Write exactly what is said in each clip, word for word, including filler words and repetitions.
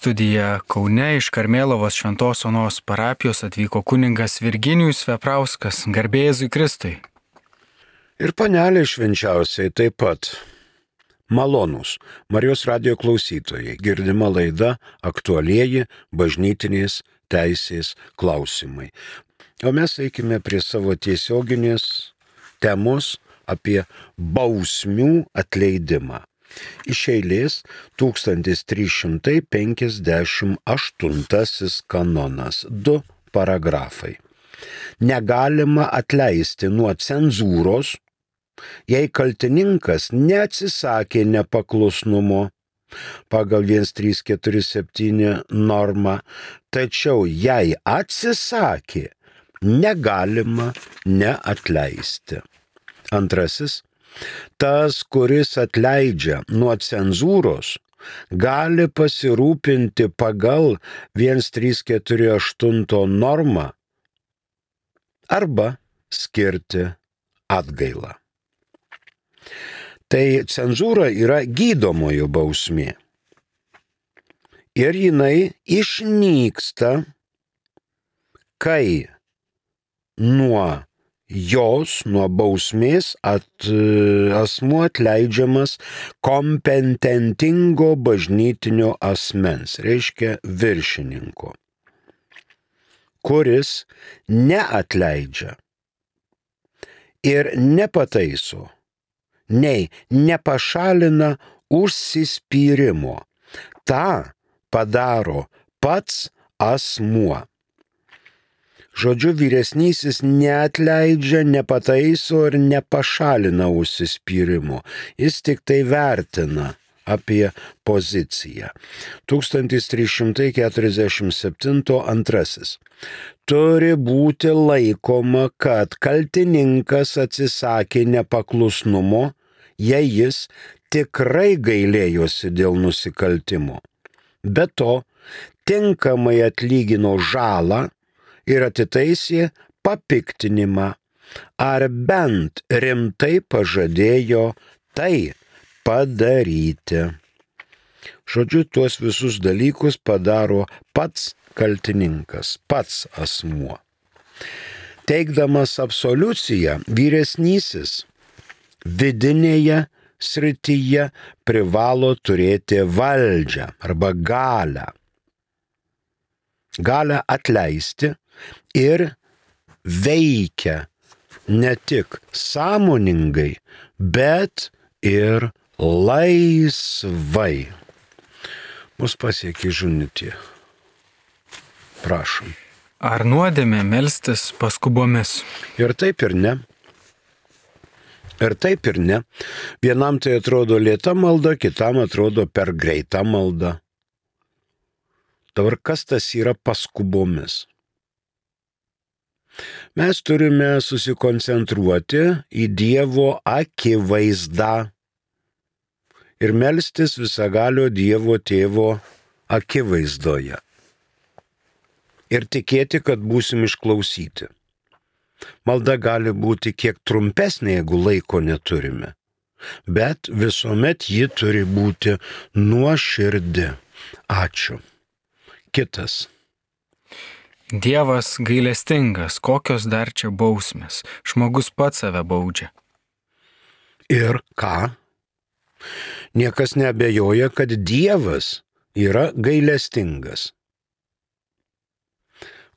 studiją Kaune iš Karmėlavos Šventos Onos parapijos atvyko kunigas Virginijus Veprauskas, garbė Jėzui Kristui. Ir panelė švenčiausiai taip pat. Malonūs Marijos radijo klausytojai, girdima laida aktualieji bažnytinės teisės klausimai. O mes eikime prie savo tiesioginės temos apie bausmių atleidimą. Iš eilės tūkstantis trys šimtai penkiasdešimt aštuntasis kanonas, du paragrafai. Negalima atleisti nuo cenzūros, jei kaltininkas neatsisakė nepaklusnumo pagal vienas trys keturi septyni normą, tačiau jei atsisakė, negalima neatleisti. Antrasis. Tas, kuris atleidžia nuo cenzūros, gali pasirūpinti pagal vienas trys keturi aštuoni normą arba skirti atgailą. Tai cenzūra yra gydomojo bausmė. Ir jinai išnyksta, kai nuo jos, nuo bausmės at, asmuo atleidžiamas kompetentingo bažnytinio asmens, reiškia viršininko, kuris neatleidžia ir nepataiso, nei nepašalina užsispyrimo. Ta padaro pats asmuo. Žodžiu, vyresnysis neatleidžia, nepataiso ir nepašalina užsispyrimo. Jis tik tai vertina apie poziciją. tūkstantis trys šimtai keturiasdešimt septyni antrasis. Turi būti laikoma, kad kaltininkas atsisakė nepaklusnumo, jei jis tikrai gailėjosi dėl nusikaltimo. Be to, tinkamai atlygino žalą ir atitaisė papiktinimą, ar bent rimtai pažadėjo tai padaryti. Žodžiu, tuos visus dalykus padaro pats kaltininkas, pats asmuo. Teikdamas absoliuciją, vyresnysis vidinėje srityje privalo turėti valdžią arba galią. Galią atleisti ir veikia ne tik sąmoningai, bet ir laisvai. Mus pasiekė žinutė. Prašom. Ar nuodėmė melstis paskubomis? Ir taip ir ne. Ir taip ir ne. Vienam tai atrodo lėta malda, kitam atrodo per greita malda. Dabar kas tas yra paskubomis? Mes turime susikoncentruoti į Dievo akivaizdą ir melstis visagalio Dievo Tėvo akivaizdoje. Ir tikėti, kad būsim išklausyti. Malda gali būti kiek trumpesnė, jeigu laiko neturime, bet visuomet ji turi būti nuoširdi. Ačiū. Kitas. Dievas gailestingas, kokios dar čia bausmės? Žmogus pats save baudžia. Ir ką? Niekas neabejoja, kad Dievas yra gailestingas.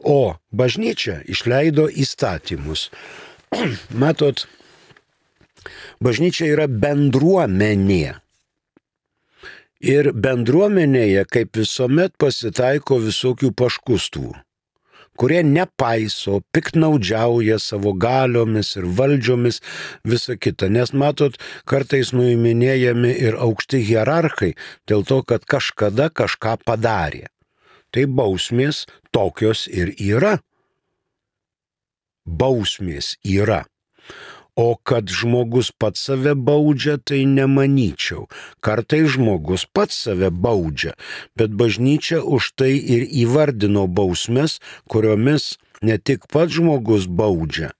O bažnyčia išleido įstatymus. Matot, bažnyčia yra bendruomenė. Ir bendruomenėje, kaip visuomet, pasitaiko visokių paškustų, kurie nepaiso, piktnaudžiauja savo galiomis ir valdžiomis, visa kita. Nes matot, kartais nuiminėjami ir aukšti hierarchai dėl to, kad kažkada kažką padarė. Tai bausmės tokios ir yra. Bausmės yra. O kad žmogus pats save baudžia, tai nemanyčiau. Kartai žmogus pats save baudžia, bet bažnyčia už tai ir įvardino bausmes, kuriomis ne tik pats žmogus baudžia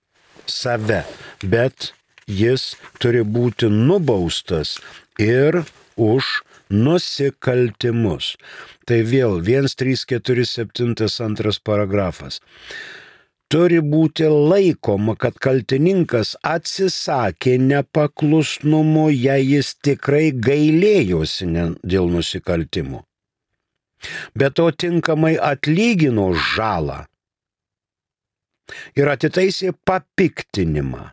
save, bet jis turi būti nubaustas ir už nusikaltimus. Tai vėl vienas, trys, keturi, septyni, antras paragrafas. Turi būti laikoma, kad kaltininkas atsisakė nepaklusnumo, jei jis tikrai gailėjosi dėl nusikaltimų. Bet to tinkamai atlygino žalą ir atitaisė papiktinimą.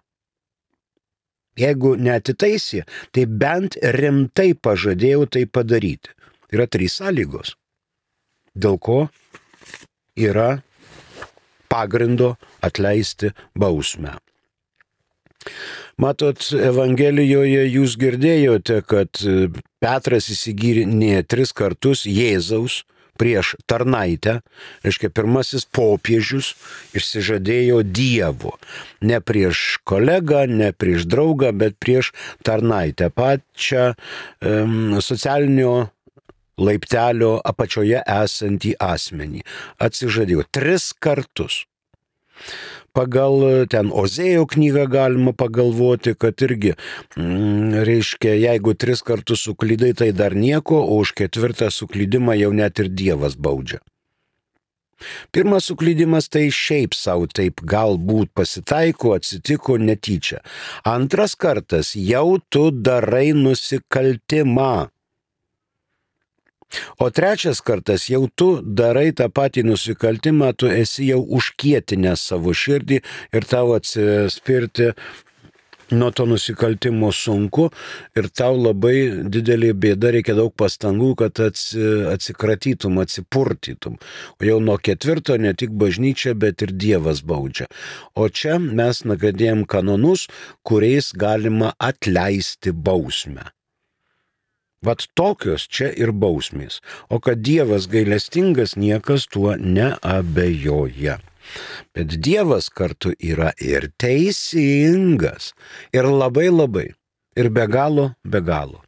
Jeigu neatitaisė, tai bent rimtai pažadėjo tai padaryti. Yra trys sąlygos, dėl ko yra pagrindo atleisti bausmę. Matot, Evangelijoje jūs girdėjote, kad Petras įsigyrė tris kartus Jėzaus prieš tarnaitę, reiškia pirmasis popiežius išsižadėjo Dievo. Ne prieš kolegą, ne prieš draugą, bet prieš tarnaitę, pačią um, socialinio laiptelio apačioje esantį asmenį. Atsižadėjo tris kartus. Pagal ten Ozėjo knygą galima pagalvoti, kad irgi, mm, reiškia, jeigu tris kartus suklydai, tai dar nieko, o už ketvirtą suklydimą jau net ir Dievas baudžia. Pirmas suklydimas tai šiaip savo taip galbūt pasitaiko, atsitiko netyčia. Antras kartas jau tu darai nusikaltimą. O trečias kartas jau tu darai tą patį nusikaltimą, tu esi jau užkietinęs savo širdį ir tau atsispirti nuo to nusikaltimo sunku ir tau labai didelė bėda, reikia daug pastangų, kad atsikratytum, atsipurtytum. O jau nuo ketvirto ne tik bažnyčia, bet ir Dievas baudžia. O čia mes nagrinėjam kanonus, kuriais galima atleisti bausmę. Vat tokios čia ir bausmės. O kad Dievas gailestingas, niekas tuo neabejoja. Bet Dievas kartu yra ir teisingas. Ir labai labai. Ir be galo, be galo.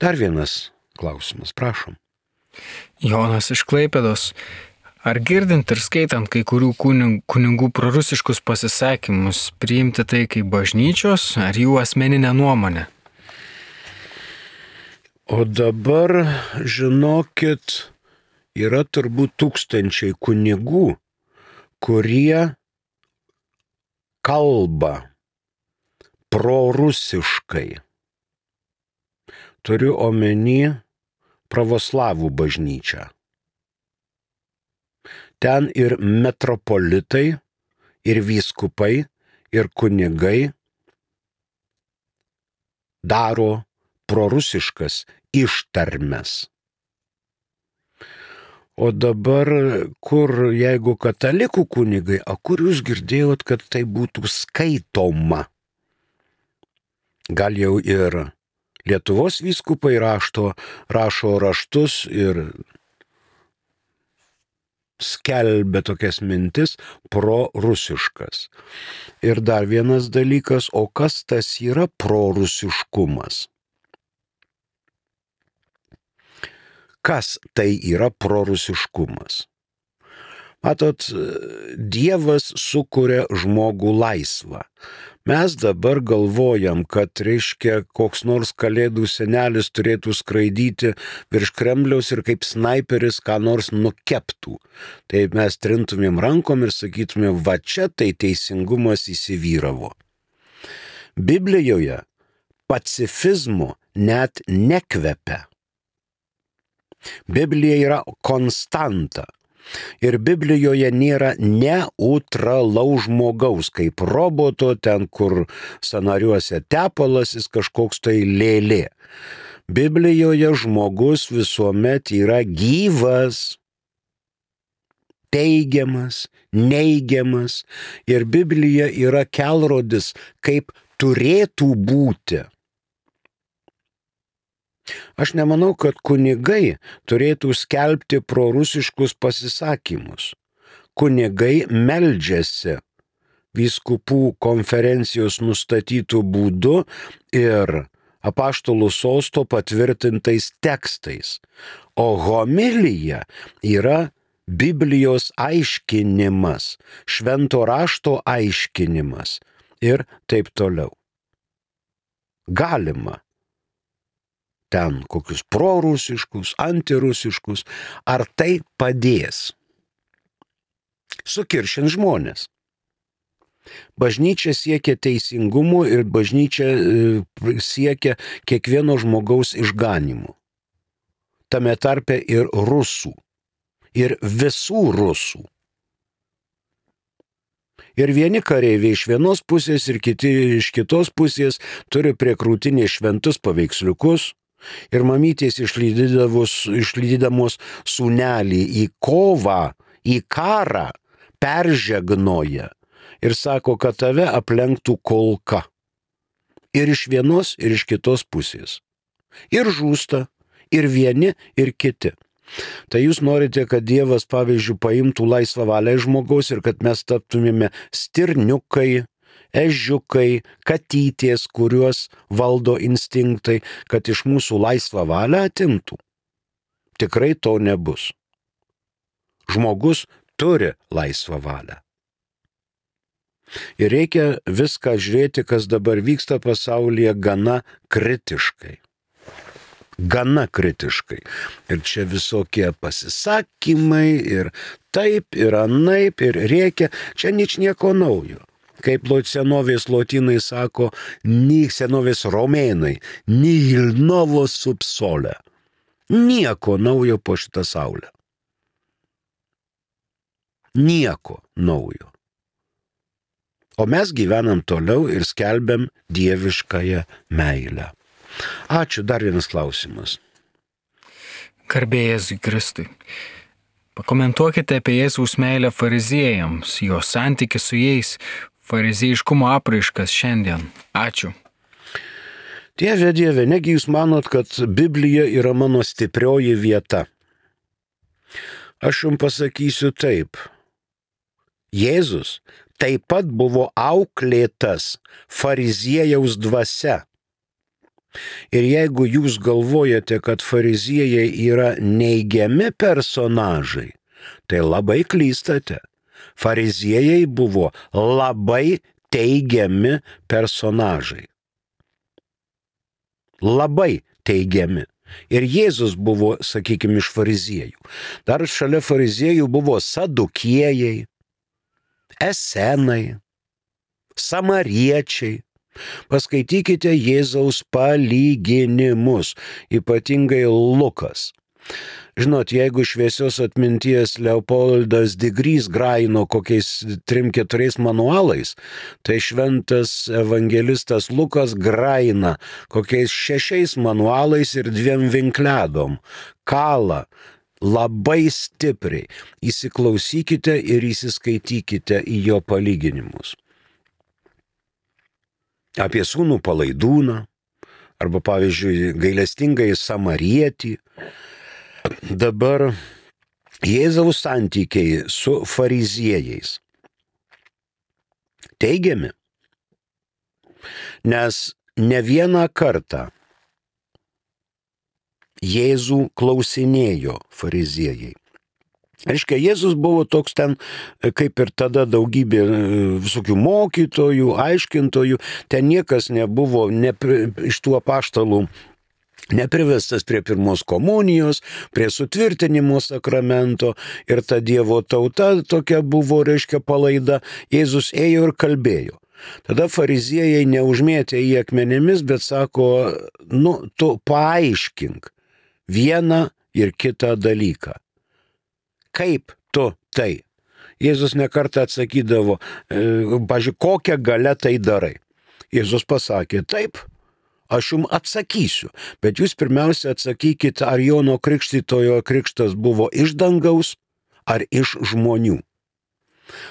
Dar vienas klausimas, prašom. Jonas iš Klaipėdos. Ar girdint ir skaitant kai kurių kunigų prorusiškus pasisakymus, priimti tai kaip bažnyčios ar jų asmeninę nuomonę? O dabar, žinokit, yra turbūt tūkstančiai kunigų, kurie kalba prorusiškai. Turiu omeny pravoslavų bažnyčią. Ten ir metropolitai, ir vyskupai, ir kunigai daro prorusiškas ištarmes. O dabar, kur, jeigu katalikų kunigai, o kur jūs girdėjot, kad tai būtų skaitoma? Gal jau ir Lietuvos vyskupai rašto, rašo raštus ir skelbia tokias mintis prorusiškas. Ir dar vienas dalykas, o kas tas yra prorusiškumas? Kas tai yra prorusiškumas? Matot, Dievas sukuria žmogų laisvą. Mes dabar galvojam, kad, reiškia, koks nors kalėdų senelis turėtų skraidyti virš Kremliaus ir kaip snaiperis ką nors nukeptų. Tai mes trintumėm rankom ir sakytumėm, va čia tai teisingumas įsivyravo. Biblijoje pacifizmo net nekvepia. Biblija yra konstanta. Ir Biblijoje nėra neutralaus žmogaus, kaip roboto, ten kur sąnariuose tepalas, jis kažkoks tai lėlė. Biblijoje žmogus visuomet yra gyvas, teigiamas, neigiamas. Ir Biblija yra kelrodis, kaip turėtų būti. Aš nemanau, kad kunigai turėtų skelbti prorusiškus pasisakymus. Kunigai meldžiasi vyskupų konferencijos nustatytų būdu ir apaštalų sosto patvirtintais tekstais. O homilija yra Biblijos aiškinimas, švento rašto aiškinimas ir taip toliau. Galima ten kokius prorusiškus, antirusiškus, ar tai padės sukiršint žmonės. Bažnyčia siekia teisingumo ir bažnyčia siekia kiekvieno žmogaus išganimo. Tame tarpe ir rusų. Ir visų rusų. Ir vieni kareiviai iš vienos pusės ir kiti iš kitos pusės turi prie krūtinės šventus paveiksliukus ir mamytės išlydydamos sūnelį į kovą, į karą, peržegnoja ir sako, kad tave aplenktų kulka. Ir iš vienos, ir iš kitos pusės. Ir žūsta, ir vieni, ir kiti. Tai jūs norite, kad Dievas, pavyzdžiui, paimtų laisvą valią iš žmogaus ir kad mes taptumėme stirniukai, ežiukai, katytės, kuriuos valdo instinktai, kad iš mūsų laisvą valią atimtų. Tikrai to nebus. Žmogus turi laisvą valią. Ir reikia viską žiūrėti, kas dabar vyksta pasaulyje, gana kritiškai. Gana kritiškai. Ir čia visokie pasisakymai, ir taip, ir anaip, ir reikia. Čia nič nieko naujo. Kaip senovės lotynai sako, ni senovės romėnai, nihil novo sub sole. Nieko naujo po šitą saulę. Nieko naujo. O mes gyvenam toliau ir skelbiam dieviškąją meilę. Ačiū, dar vienas klausimas. Garbė Jėzui Kristui. Pakomentuokite apie Jėzaus meilę fariziejams, jo santykį su jais, fariziejiškumo apraiškas šiandien. Ačiū. Dieve, Dieve, negi jūs manot, kad Biblija yra mano stiprioji vieta? Aš jums pasakysiu taip. Jėzus taip pat buvo auklėtas fariziejaus dvasia. Ir jeigu jūs galvojate, kad fariziejai yra neigiami personažai, tai labai klystate. Fariziejai buvo labai teigiami personažai. Labai teigiami. Ir Jėzus buvo, sakykime, iš fariziejų. Dar šalia fariziejų buvo sadukiejai, esenai, samariečiai. Paskaitykite Jėzaus palyginimus, ypatingai Lukas. Žinot, jeigu šviesios atminties Leopoldas Digrys graino kokiais trim keturiais manualais, tai šventas evangelistas Lukas graina kokiais šešiais manualais ir dviem vinkledom. Kala labai stipriai. Įsiklausykite ir įsiskaitykite į jo palyginimus. Apie sūnų palaidūną, arba pavyzdžiui gailestingai samarietį. Dabar Jėzaus santykiai su fariziejais teigiami, nes ne vieną kartą Jėzų klausinėjo fariziejai. Reiškia, Jėzus buvo toks ten, kaip ir tada daugybė visokių mokytojų, aiškintojų, ten niekas nebuvo ne, iš tų apaštalų neprivestas prie pirmos komunijos, prie sutvirtinimo sakramento ir ta Dievo tauta tokia buvo, reiškia, palaida. Jėzus ėjo ir kalbėjo. Tada fariziejai neužmėtė į akmenėmis, bet sako, nu, tu paaiškink vieną ir kitą dalyką. Kaip tu tai? Jėzus nekartą atsakydavo, pažiūrėk, kokią galę tai darai. Jėzus pasakė, taip, aš jums atsakysiu, bet jūs pirmiausia atsakykite, ar Jono Krikštytojo krikštas buvo iš dangaus ar iš žmonių.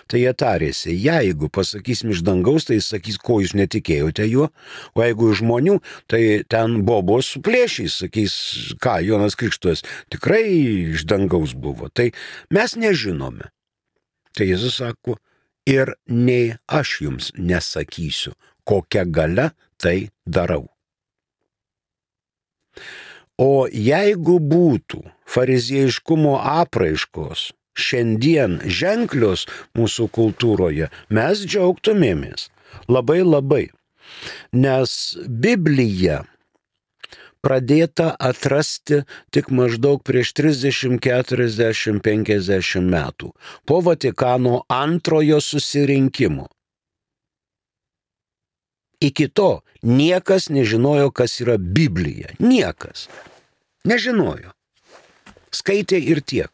Tai jie tarėsi, jeigu pasakysim iš dangaus, tai jis sakys, ko jūs netikėjote juo, o jeigu iš žmonių, tai ten bobos suplėšys, sakys, ką, Jonas Krikštytojas tikrai iš dangaus buvo. Tai mes nežinome. Tai Jėzus sako, ir nei aš jums nesakysiu, kokią galę tai darau. O jeigu būtų fariziejiškumo apraiškos šiandien ženklios mūsų kultūroje, mes džiaugtumėmės labai labai, nes Biblija pradėta atrasti tik maždaug prieš trisdešimt, keturiasdešimt, penkiasdešimt metų, po Vatikano antrojo susirinkimo. Iki to niekas nežinojo, kas yra Biblija. Niekas. Nežinojo. Skaitė ir tiek.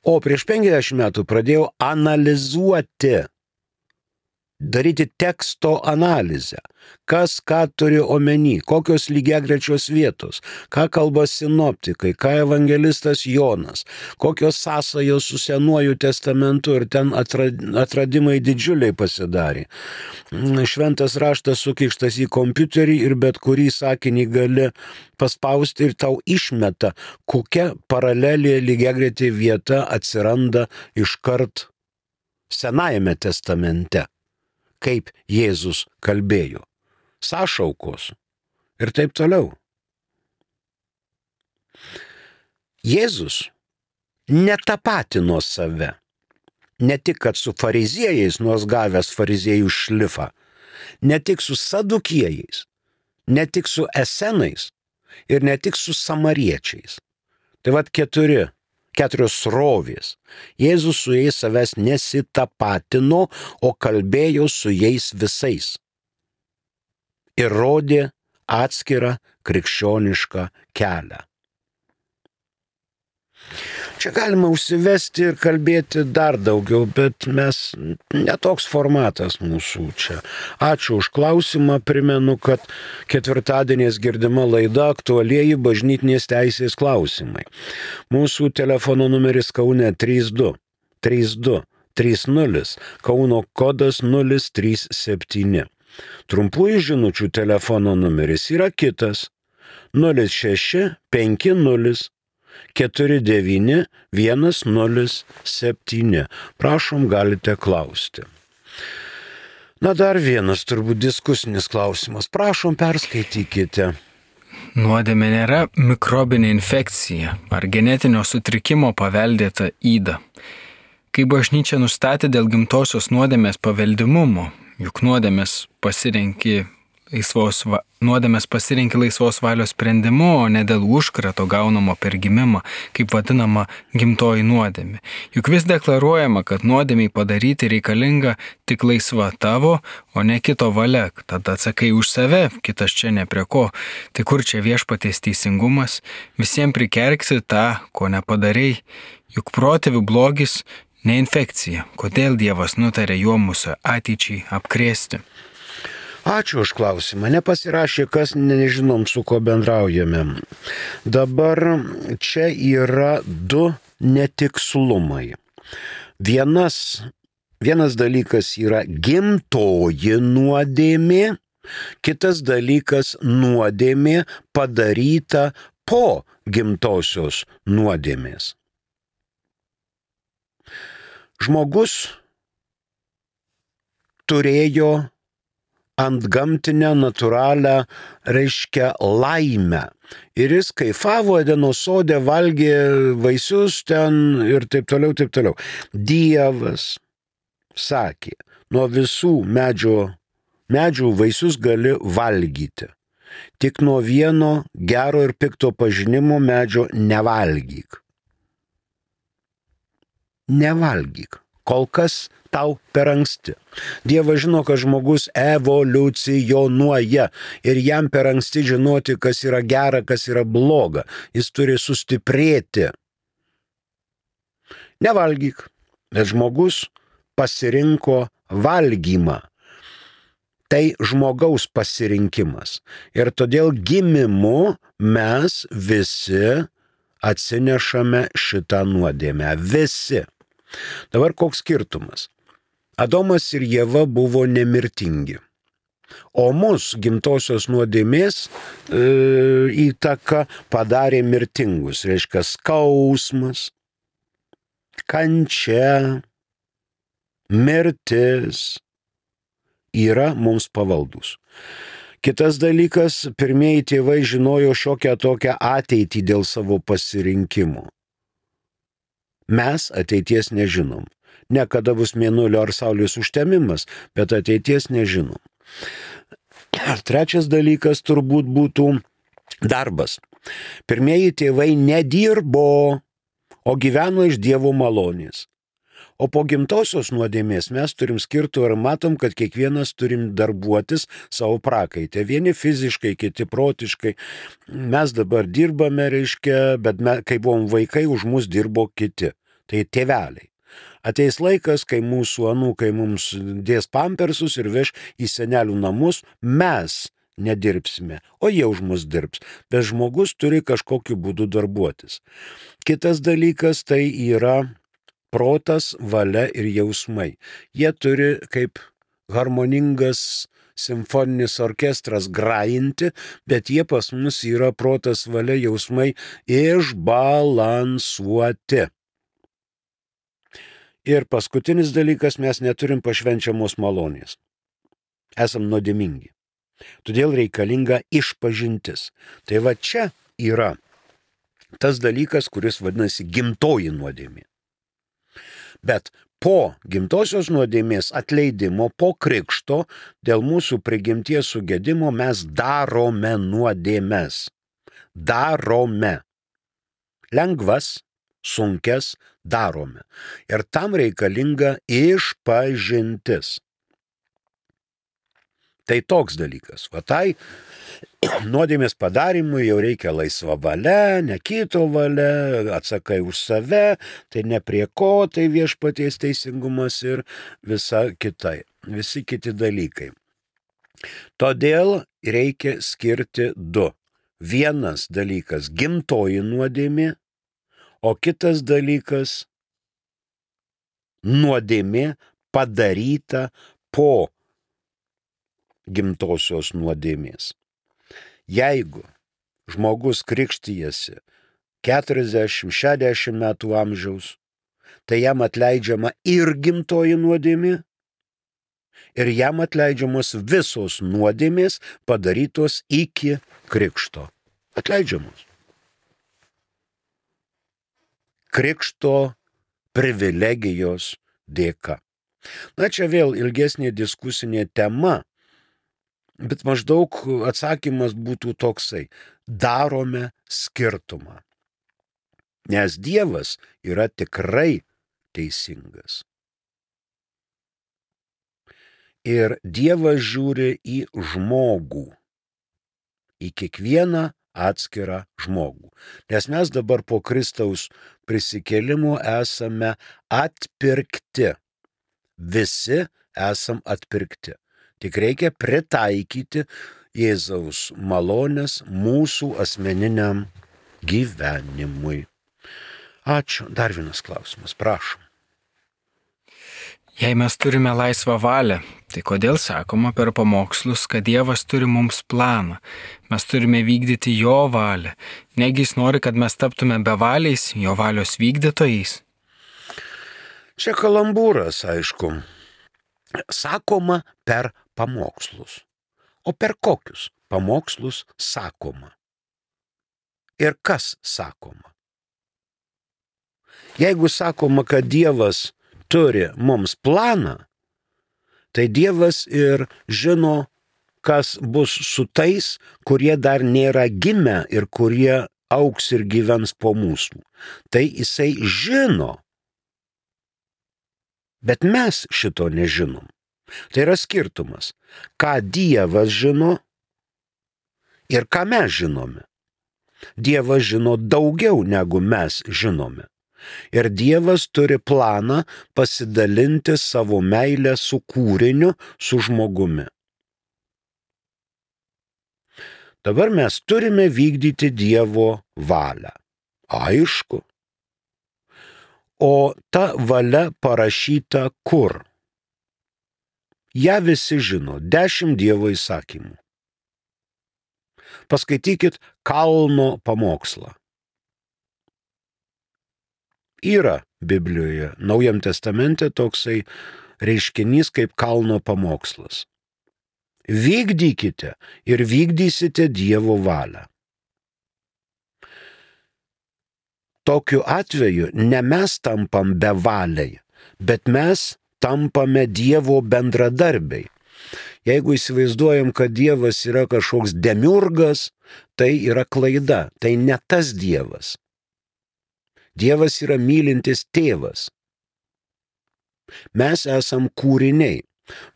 O prieš penkiasdešimt metų pradėjau analizuoti, daryti teksto analizę. Kas ką turi omeny, kokios lygiagrečios vietos, ką kalba sinoptikai, ką evangelistas Jonas, kokios sąsajos su Senuoju testamentu ir ten atradimai didžiuliai pasidarė. Šventas raštas sukištas į kompiuterį ir bet kurį sakinį gali paspausti ir tau išmeta, kokia paralelė lygiagretė vieta atsiranda iškart Senajame testamente, kaip Jėzus kalbėjo, sąšaukos ir taip toliau. Jėzus netapatino save, ne tik kad su fariziejais, nors gavęs fariziejų šlifą, ne tik su sadukiejais, ne tik su esenais ir ne tik su samariečiais. Tai vat keturi, keturios srovės. Jėzus su jais savęs nesitapatino, o kalbėjo su jais visais. Ir rodė atskirą krikščionišką kelią. Čia galima užsivesti ir kalbėti dar daugiau, bet mes netoks formatas mūsų čia. Ačiū už klausimą, primenu, kad ketvirtadieniais girdima laida Aktualieji bažnytinės teisės klausimai. Mūsų telefono numeris Kaune trys du trys du trys nulis, Kauno kodas nulis trys septyni. Trumpųjų žinučių telefono numeris yra kitas nulis šeši penki nulis keturi devyni vienas nulis septyni. Prašom, galite klausti. Na, dar vienas turbūt diskusinis klausimas. Prašom, perskaitykite. Nuodėmė nėra mikrobinė infekcija ar genetinio sutrikimo paveldėta yda. Kai bažnyčia nustatė dėl gimtosios nuodėmės paveldimumo, juk nuodėmės pasirenki laisvos, va, nuodėmės pasirenki laisvos valios sprendimu, o ne dėl užkrato gaunamo per gimimą, kaip vadinama gimtoji nuodėmė. Juk vis deklaruojama, kad nuodėmiai padaryti reikalinga tik laisva tavo, o ne kito valia. Tada atsakai už save, kitas čia ne prie ko. Tai kur čia viešpaties teisingumas? Visiems prikerksi tą, ko nepadarei. Juk protėvių blogis ne infekcija. Kodėl Dievas nutarė juo mūsų ateičiai apkrėsti? Ačiū už klausimą. Nepasirašė, kas nežinom, su ko bendraujame. Dabar čia yra du netikslumai. Vienas, vienas dalykas yra gimtoji nuodėmė, kitas dalykas nuodėmė padaryta po gimtosios nuodėmės. Žmogus turėjo antgamtinę, natūralią, reiškia laimę. Ir jis kaifavo Edeno sode, valgė vaisius ten ir taip toliau, taip toliau. Dievas sakė, nuo visų medžio, medžių vaisius gali valgyti. Tik nuo vieno gero ir pikto pažinimo medžio nevalgyk. Nevalgyk. Kol kas tau per anksti. Dievas žino, kad žmogus evoliucionuoja ir jam per anksti žinoti, kas yra gera, kas yra bloga. Jis turi sustiprėti. Nevalgyk, bet žmogus pasirinko valgymą. Tai žmogaus pasirinkimas. Ir todėl gimimu mes visi atsinešame šitą nuodėmę. Visi. Dabar koks skirtumas? Adomas ir Ieva buvo nemirtingi, o mus gimtosios nuodėmės e, įtaka padarė mirtingus, reiškia skausmas, kančia, mirtis yra mums pavaldus. Kitas dalykas, pirmieji tėvai žinojo šiokią tokią ateitį dėl savo pasirinkimo. Mes ateities nežinom. Ne kada bus mėnulio ar saulės užtemimas, bet ateities nežinom. Trečias dalykas turbūt būtų Darbas. Pirmieji tėvai nedirbo, o gyveno iš Dievo malonės. O po gimtosios nuodėmės mes turim skirtų ir matom, kad kiekvienas turim darbuotis savo prakaitę. Vieni fiziškai, kiti protiškai. Mes dabar dirbame, reiškia, bet me, kai buvom vaikai, už mus dirbo kiti. Tai tėveliai. Ateis laikas, kai mūsų anūkai mums dės pampersus ir veš į senelių namus, mes nedirbsime, o jie už mus dirbs. Bet žmogus turi kažkokiu būdu darbuotis. Kitas dalykas tai yra protas, valia ir jausmai. Jie turi kaip harmoningas simfoninis orkestras grajinti, bet jie pas mus yra protas, valia, jausmai išbalansuoti. Ir paskutinis dalykas, mes neturim pašvenčiamos malonės. Esam nuodėmingi. Todėl reikalinga išpažintis. Tai va čia yra tas dalykas, kuris vadinasi gimtoji nuodėmė. Bet po gimtosios nuodėmės atleidimo, po krikšto, dėl mūsų prigimties sugedimo mes darome nuodėmes. Darome. Lengvas, sunkes darome. Ir tam reikalinga išpažintis. Tai toks dalykas. Va tai nuodėmės padarimui jau reikia laisva valia, ne kito valia, atsakai už save, tai ne prie ko, tai viešpaties teisingumas ir visa kitai, visi kiti dalykai. Todėl reikia skirti du. Vienas dalykas gimtoji nuodėmė, o kitas dalykas nuodėmė padaryta po gimtosios nuodėmės. Jeigu žmogus krikštijasi keturiasdešimt šešiasdešimt metų amžiaus, tai jam atleidžiama ir gimtoji nuodėmė, ir jam atleidžiamos visos nuodėmės padarytos iki krikšto. Atleidžiamos. Krikšto privilegijos dėka. Na, čia vėl ilgesnė diskusinė tema, bet maždaug atsakymas būtų toksai. Darome skirtumą. Nes Dievas yra tikrai teisingas. Ir Dievas žiūri į žmogų, į kiekvieną atskirą žmogų. Nes mes dabar po Kristaus prisikėlimo esame atpirkti. Visi esam atpirkti. Tik reikia pritaikyti Jėzaus malonės mūsų asmeniniam gyvenimui. Ačiū. Dar vienas klausimas, prašom. Jei mes turime laisvą valią, tai kodėl sakoma per pamokslus, kad Dievas turi mums planą? Mes turime vykdyti jo valią. Negi jis nori, kad mes taptume bevaliais, jo valios vykdytojais? Čia kalambūras, aišku. Sakoma per pamokslus. O per kokius pamokslus sakoma? Ir kas sakoma? Jeigu sakoma, kad Dievas turi mums planą, tai Dievas ir žino, kas bus su tais, kurie dar nėra gimę ir kurie augs ir gyvens po mūsų. Tai jisai žino. Bet mes šito nežinom. Tai yra skirtumas, ką Dievas žino ir ką mes žinome. Dievas žino daugiau, negu mes žinome. Ir Dievas turi planą pasidalinti savo meilę su kūriniu, su žmogumi. Dabar mes turime vykdyti Dievo valią. Aišku. O ta valia parašyta kur? Ja visi žino, dešimt Dievo įsakymų. Paskaitykit Kalno pamokslą. Yra Biblijoje, Naujam testamente toksai reiškinys kaip Kalno pamokslas. Vykdykite ir vykdysite Dievo valią. Tokiu atveju ne mes tampam bevaliai, bet mes tampame Dievo bendradarbiai. Jeigu įsivaizduojam, kad Dievas yra kažkoks demiurgas, tai yra klaida, tai ne tas Dievas. Dievas yra mylintis tėvas. Mes esam kūriniai.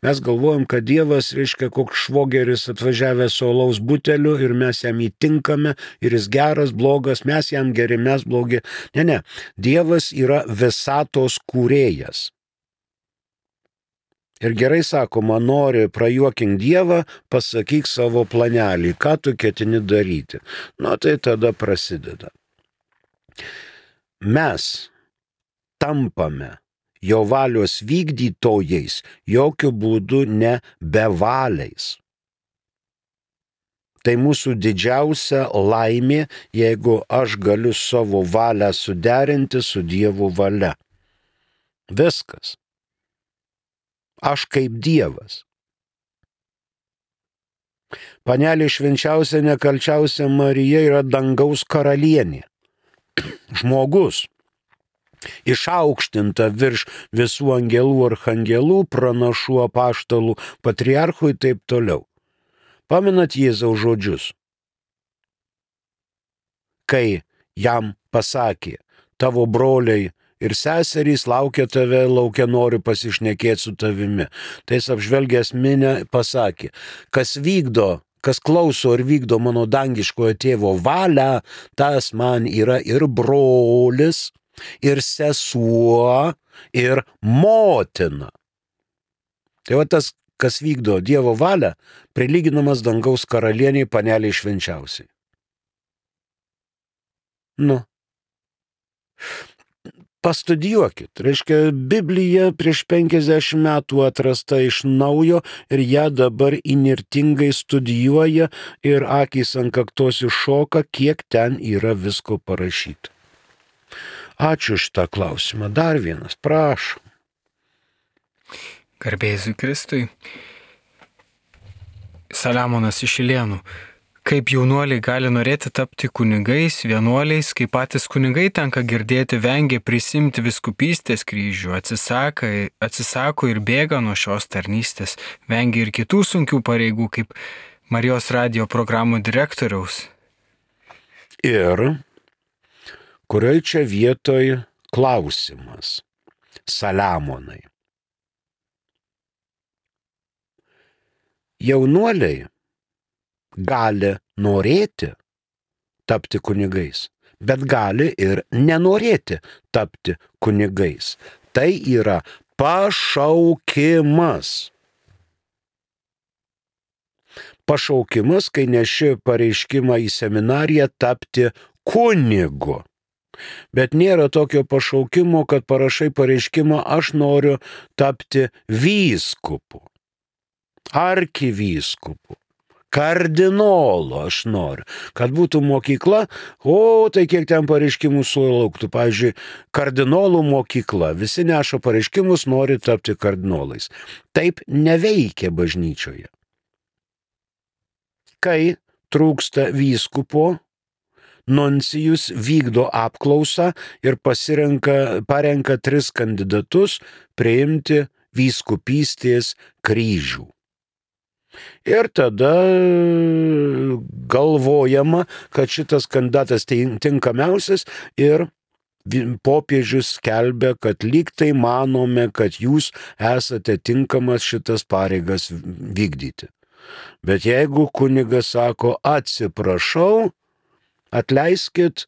Mes galvojam, kad Dievas, reiškia, koks švogeris atvažiavęs su alaus buteliu ir mes jam įtinkame ir jis geras, blogas, mes jam geri, mes blogi. Ne, ne. Dievas yra visatos kūrėjas. Ir gerai sakoma, nori prajuokink Dievą, pasakyk savo planelį, ką tu ketini daryti. Nu, tai tada prasideda. Mes tampame jo valios vykdytojais, jokių būdų ne bevaliais. Tai mūsų didžiausia laimė, jeigu aš galiu savo valią suderinti su Dievo valia. Viskas. Aš kaip Dievas. Panelė švenčiausia, nekalčiausia Marija yra dangaus karalienė. Žmogus. Išaukštinta virš visų angelų, archangelų, pranašų, apaštalų, patriarchų ir taip toliau. Pamenat Jėzaus žodžius? Kai jam pasakė, tavo broliai ir seserys laukia tave, laukia nori pasišnekėti su tavimi. Tai jis apžvelgęs minę pasakė, kas vykdo, kas klauso ir vykdo mano dangiškojo tėvo valią, tas man yra ir brolis, ir sesuo, ir motina. Tai va tas, kas vykdo Dievo valią, prilyginamas dangaus karalieniai paneliai švenčiausiai. Nu. Pastudijuokit. Reiškia, Biblija prieš penkiasdešimt metų atrasta iš naujo ir ją dabar inirtingai studijuoja ir akys ant kaktos iššoka, kiek ten yra visko parašyta. Ačiū šitą klausimą. Dar vienas, prašom. Garbė Jėzui Kristui. Saliamonas iš Ilėnų. Kaip jaunuoliai gali norėti tapti kunigais, vienuoliais, kai patys kunigai tenka girdėti vengia prisimti vyskupystės kryžių, atsisaka, atsisako ir bėga nuo šios tarnystės, vengia ir kitų sunkių pareigų, kaip Marijos radijo programų direktoriaus. Ir kurioj čia vietoj klausimas, Saliamonai. Jaunuoliai gali norėti tapti kunigais, bet gali ir nenorėti tapti kunigais. Tai yra pašaukimas. Pašaukimas, kai neši pareiškimą į seminariją tapti kunigu. Bet nėra tokio pašaukimo, kad parašai pareiškimą, aš noriu tapti vyskupu, arkivyskupu, kardinolu aš noriu. Kad būtų mokykla, o tai kiek ten pareiškimų sulauktų. Pavyzdžiui, kardinolų mokykla, visi neša pareiškimus, nori tapti kardinolais. Taip neveikia bažnyčioje. Kai trūksta vyskupo, nuncijus vykdo apklausą ir pasirenka, parenka tris kandidatus priimti vyskupystės kryžių. Ir tada galvojama, kad šitas kandidatas tinkamiausias ir popiežius skelbia, kad lyg tai manome, kad jūs esate tinkamas šitas pareigas vykdyti. Bet jeigu kunigas sako, atsiprašau, atleiskit,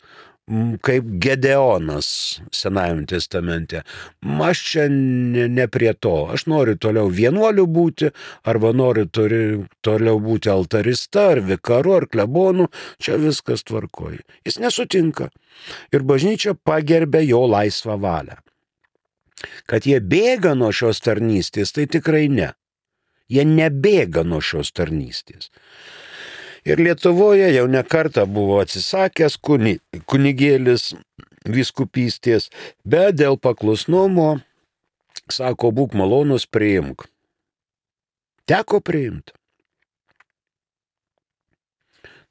kaip Gedeonas Senajame testamente. Aš čia ne, ne prie to. Aš noriu toliau vienuoliu būti, arba noriu turi, toliau būti altarista, ar vikaru, ar klebonu. Čia viskas tvarkoja. Jis nesutinka. Ir bažnyčia pagerbė jo laisvą valią. Kad jie bėga nuo šios tarnystės, tai tikrai ne. Jie nebėga nuo šios tarnystės. Ir Lietuvoje jau ne kartą buvo atsisakęs kuni, kunigėlis vyskupystės, bet dėl paklusnumo, sako, būk malonus, priimk. Teko priimti.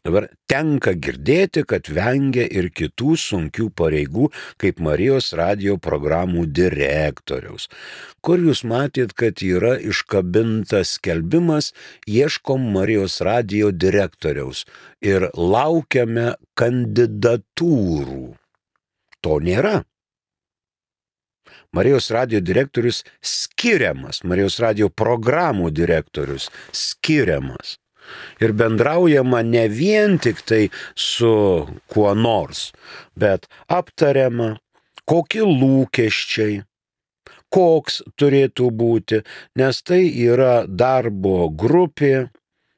Dabar tenka girdėti, kad vengia ir kitų sunkių pareigų, kaip Marijos radijo programų direktoriaus. Kur jūs matėt, kad yra iškabintas skelbimas, ieškom Marijos radijo direktoriaus ir laukiame kandidatūrų. To nėra. Marijos radijo direktorius skiriamas, Marijos radijo programų direktorius skiriamas. Ir bendraujama ne vien tik tai su kuo nors, bet aptariama, kokie lūkesčiai, koks turėtų būti, nes tai yra darbo grupė,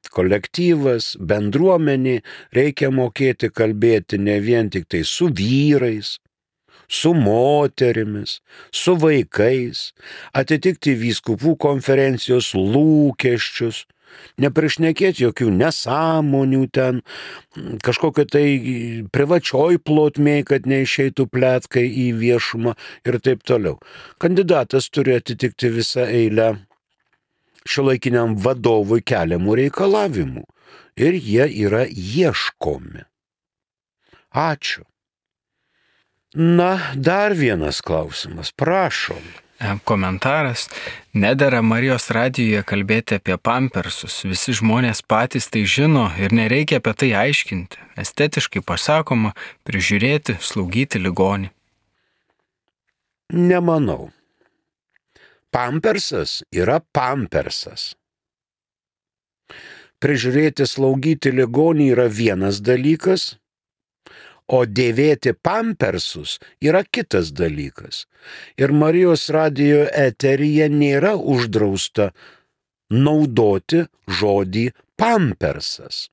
kolektyvas, bendruomenė, reikia mokėti kalbėti ne vien tik tai su vyrais, su moterimis, su vaikais, atitikti vyskupų konferencijos lūkesčius, neprišnekėti jokių nesąmonių ten, kažkokio tai privačioj plotmėj, kad neišeitų pletkai į viešumą ir taip toliau. Kandidatas turi atitikti visą eilę šiuolaikiniam vadovui keliamų reikalavimų ir jie yra ieškomi. Ačiū. Na, dar vienas klausimas, prašom. Komentaras. Nedera Marijos radijoje kalbėti apie pampersus. Visi žmonės patys tai žino ir nereikia apie tai aiškinti. Estetiškai pasakoma, prižiūrėti, slaugyti ligonį. Nemanau. Pampersas yra pampersas. Prižiūrėti, slaugyti ligonį yra vienas dalykas, o dėvėti pampersus yra kitas dalykas. Ir Marijos radijo eteryje nėra uždrausta naudoti žodį pampersas.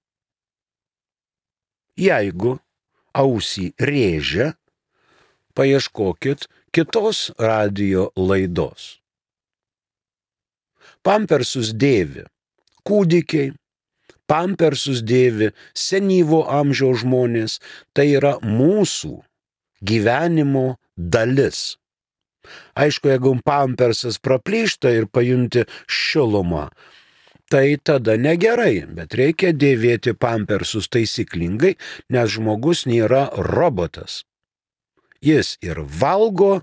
Jeigu ausį rėžia, paieškokit kitos radijo laidos. Pampersus dėvi kūdikiai, pampersus dėvi senyvo amžiaus žmonės, tai yra mūsų gyvenimo dalis. Aišku, jeigu pampersas praplyšta ir pajunti šilumą, tai tada negerai, bet reikia dėvėti pampersus taisyklingai, nes žmogus nėra robotas. Jis ir valgo,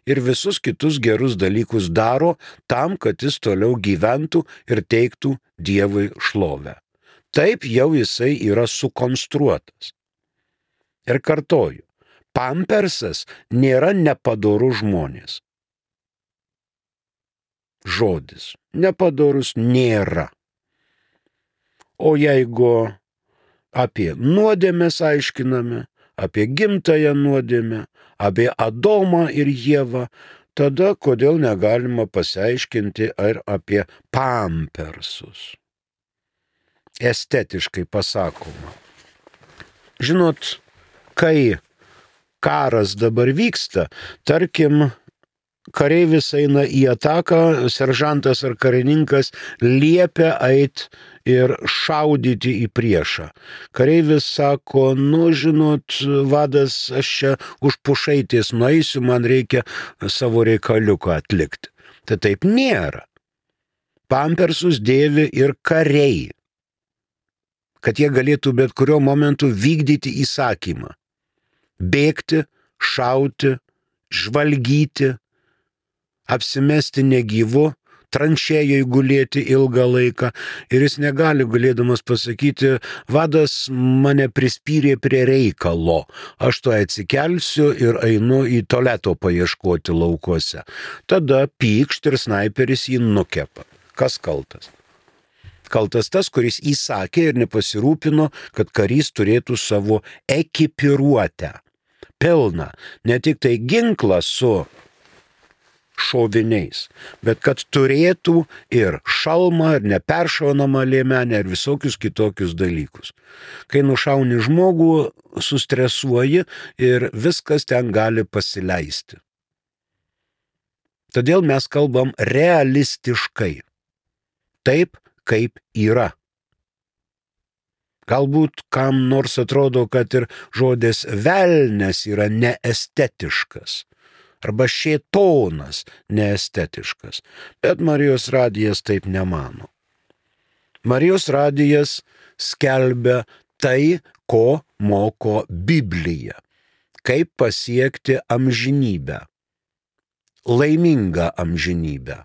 ir visus kitus gerus dalykus daro tam, kad jis toliau gyventų ir teiktų Dievui šlovę. Taip jau jisai yra sukonstruotas. Ir kartoju, pampersas nėra nepadorus žmonės. Žodis nepadorus nėra. O jeigu apie nuodėmes aiškiname, apie gimtąją nuodėmę, apie Adomą ir Ievą, tada kodėl negalima pasiaiškinti ir apie pampersus? Estetiškai pasakoma. Žinot, kai karas dabar vyksta, tarkim, kareivis eina į ataką, seržantas ar karininkas liepia eit ir šaudyti į priešą. Kareivis sako, nu, žinot, vadas, aš čia už pušaitės nueisiu, man reikia savo reikaliuką atlikti. Tai taip nėra. Pampersus dėvi ir kariai, kad jie galėtų bet kurio momentu vykdyti įsakymą. Bėgti, šauti, žvalgyti, apsimesti negyvu, tranšėjai gulėti ilgą laiką ir jis negali galėdamas pasakyti, vadas mane prispyrė prie reikalo, aš to atsikelsiu ir einu į tualeto paieškoti laukuose. Tada pykšt ir snaiperis jį nukepa. Kas kaltas? Kaltas tas, kuris įsakė ir nepasirūpino, kad karys turėtų savo ekipiruotę. Pilną, ne tik tai ginklą su šoviniais, bet kad turėtų ir šalmą, ir neperšaunamą liemenę, ir visokius kitokius dalykus. Kai nušauni žmogų, sustresuoji ir viskas ten gali pasileisti. Todėl mes kalbam realistiškai. Taip, kaip yra. Galbūt kam nors atrodo, kad ir žodis velnias yra neestetiškas, arba šėtonas neestetiškas, bet Marijos radijas taip nemano. Marijos radijas skelbia tai, ko moko Biblija. Kaip pasiekti amžinybę, laimingą amžinybę.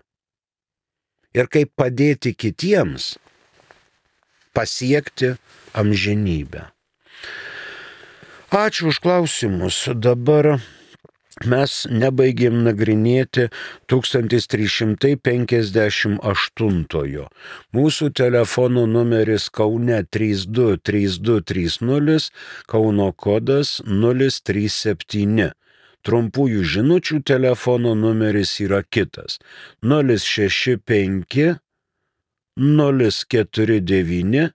Ir kaip padėti kitiems pasiekti amžinybę. Ačiū už klausimus. Dabar mes nebaigėm nagrinėti tūkstantis trys šimtai penkiasdešimt aštuntojo. Mūsų telefono numeris Kaune trys du trys du trys nulis, Kauno kodas nulis trys septyni. Trumpųjų žinučių telefono numeris yra kitas nulis šeši penki nulis keturi devyni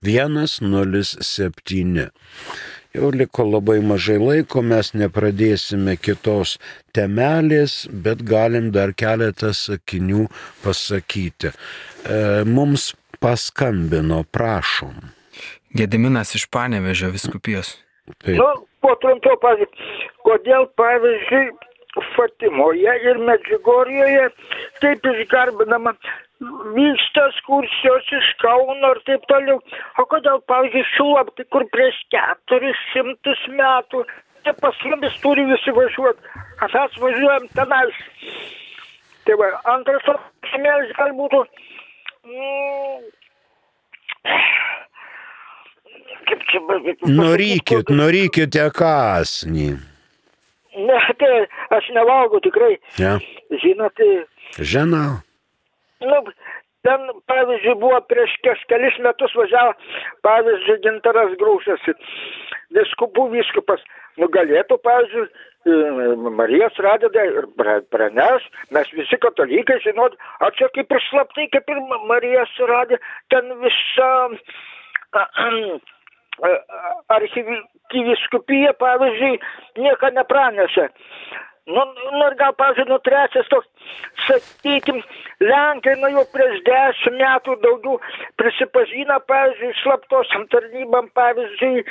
vienas nulis septyni. Jau liko labai mažai laiko, mes nepradėsime kitos temelės, bet galim dar keletą sakinių pasakyti. E, mums paskambino, prašom. Gediminas iš Panevėžio vyskupijos. Taip. Nu, po trumpiau, pavyzdžiui, kodėl, pavyzdžiui, Fatimoje ir Medžiugorjoje taip išgarbinama, vyksta ekskursijos iš Kauno ir taip toliau. O kodėl, pavyzdžiui, Šilopė, kur prieš keturis šimtus metų, tai pas mumis turi visi važiuoti, mes važiuojam tenais. Tai va, antras klausimėlis gal būtų, mm, kaip čia bet... Norykit, norykite kąsnį. Ne, tai aš nevalgau tikrai. Ja. Žinote. Žinau. Nu, ten, pavyzdžiui, buvo prieš kelis metus važiavo, pavyzdžiui, Gintaras Grūšas, vyskupų vyskupas. Nu, galėtų, pavyzdžiui, Marijos radiją ir praneš, mes visi katalikai žinot, o čia kaip ir slaptai, kaip ir Marijos radija, ten visa arkivyskupija, pavyzdžiui, nieko nepranešė. Nu, nu ir gal, pavyzdžiui, nu trečias toks, sakykim, Lenkai, nu jau prieš dešimt metų daugiau prisipažino, pavyzdžiui, slaptosiam tarnybam, pavyzdžiui,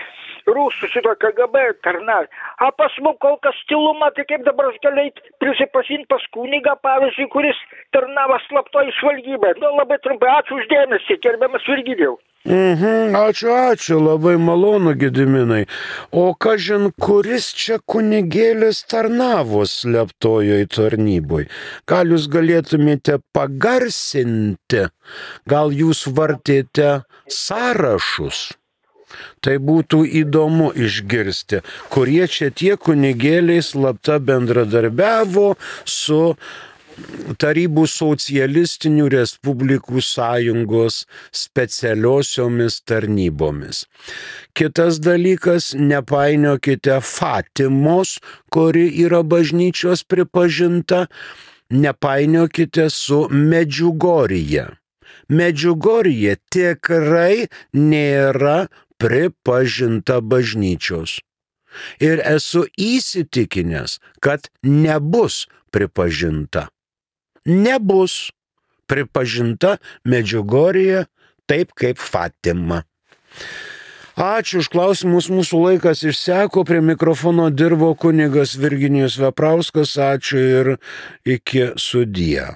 rusų šito K G B tarnai. O pas mus kol kas tyluma, tai kaip dabar aš galėjau prisipažinti pas kunigą, pavyzdžiui, kuris tarnavo slaptoj žvalgybai. Nu, labai trumpai, ačiū uždėmesį, gerbiamas Virgilijau. Mhm, ačiū, ačiū, labai malonu, Gediminai. O kažin, kuris čia kunigėlis tarnavo slaptojoj tarnyboj? Gal jūs galėtumėte pagarsinti? Gal jūs vartėte sąrašus? Tai būtų įdomu išgirsti, kurie čia tie kunigėliai slapta bendradarbiavo su Tarybų socialistinių respublikų sąjungos specialiosiomis tarnybomis. Kitas dalykas, nepainiokite Fatimos, kuri yra bažnyčios pripažinta, nepainiokite su Medžiugorija. Medžiugorija tikrai nėra pripažinta bažnyčios. Ir esu įsitikinęs, kad nebus pripažinta. Nebus pripažinta Medžiugorija taip kaip Fatima. Ačiū už klausimus, mūsų laikas išseko, prie mikrofono dirbo kunigas Virginijus Veprauskas, ačiū ir iki sudie.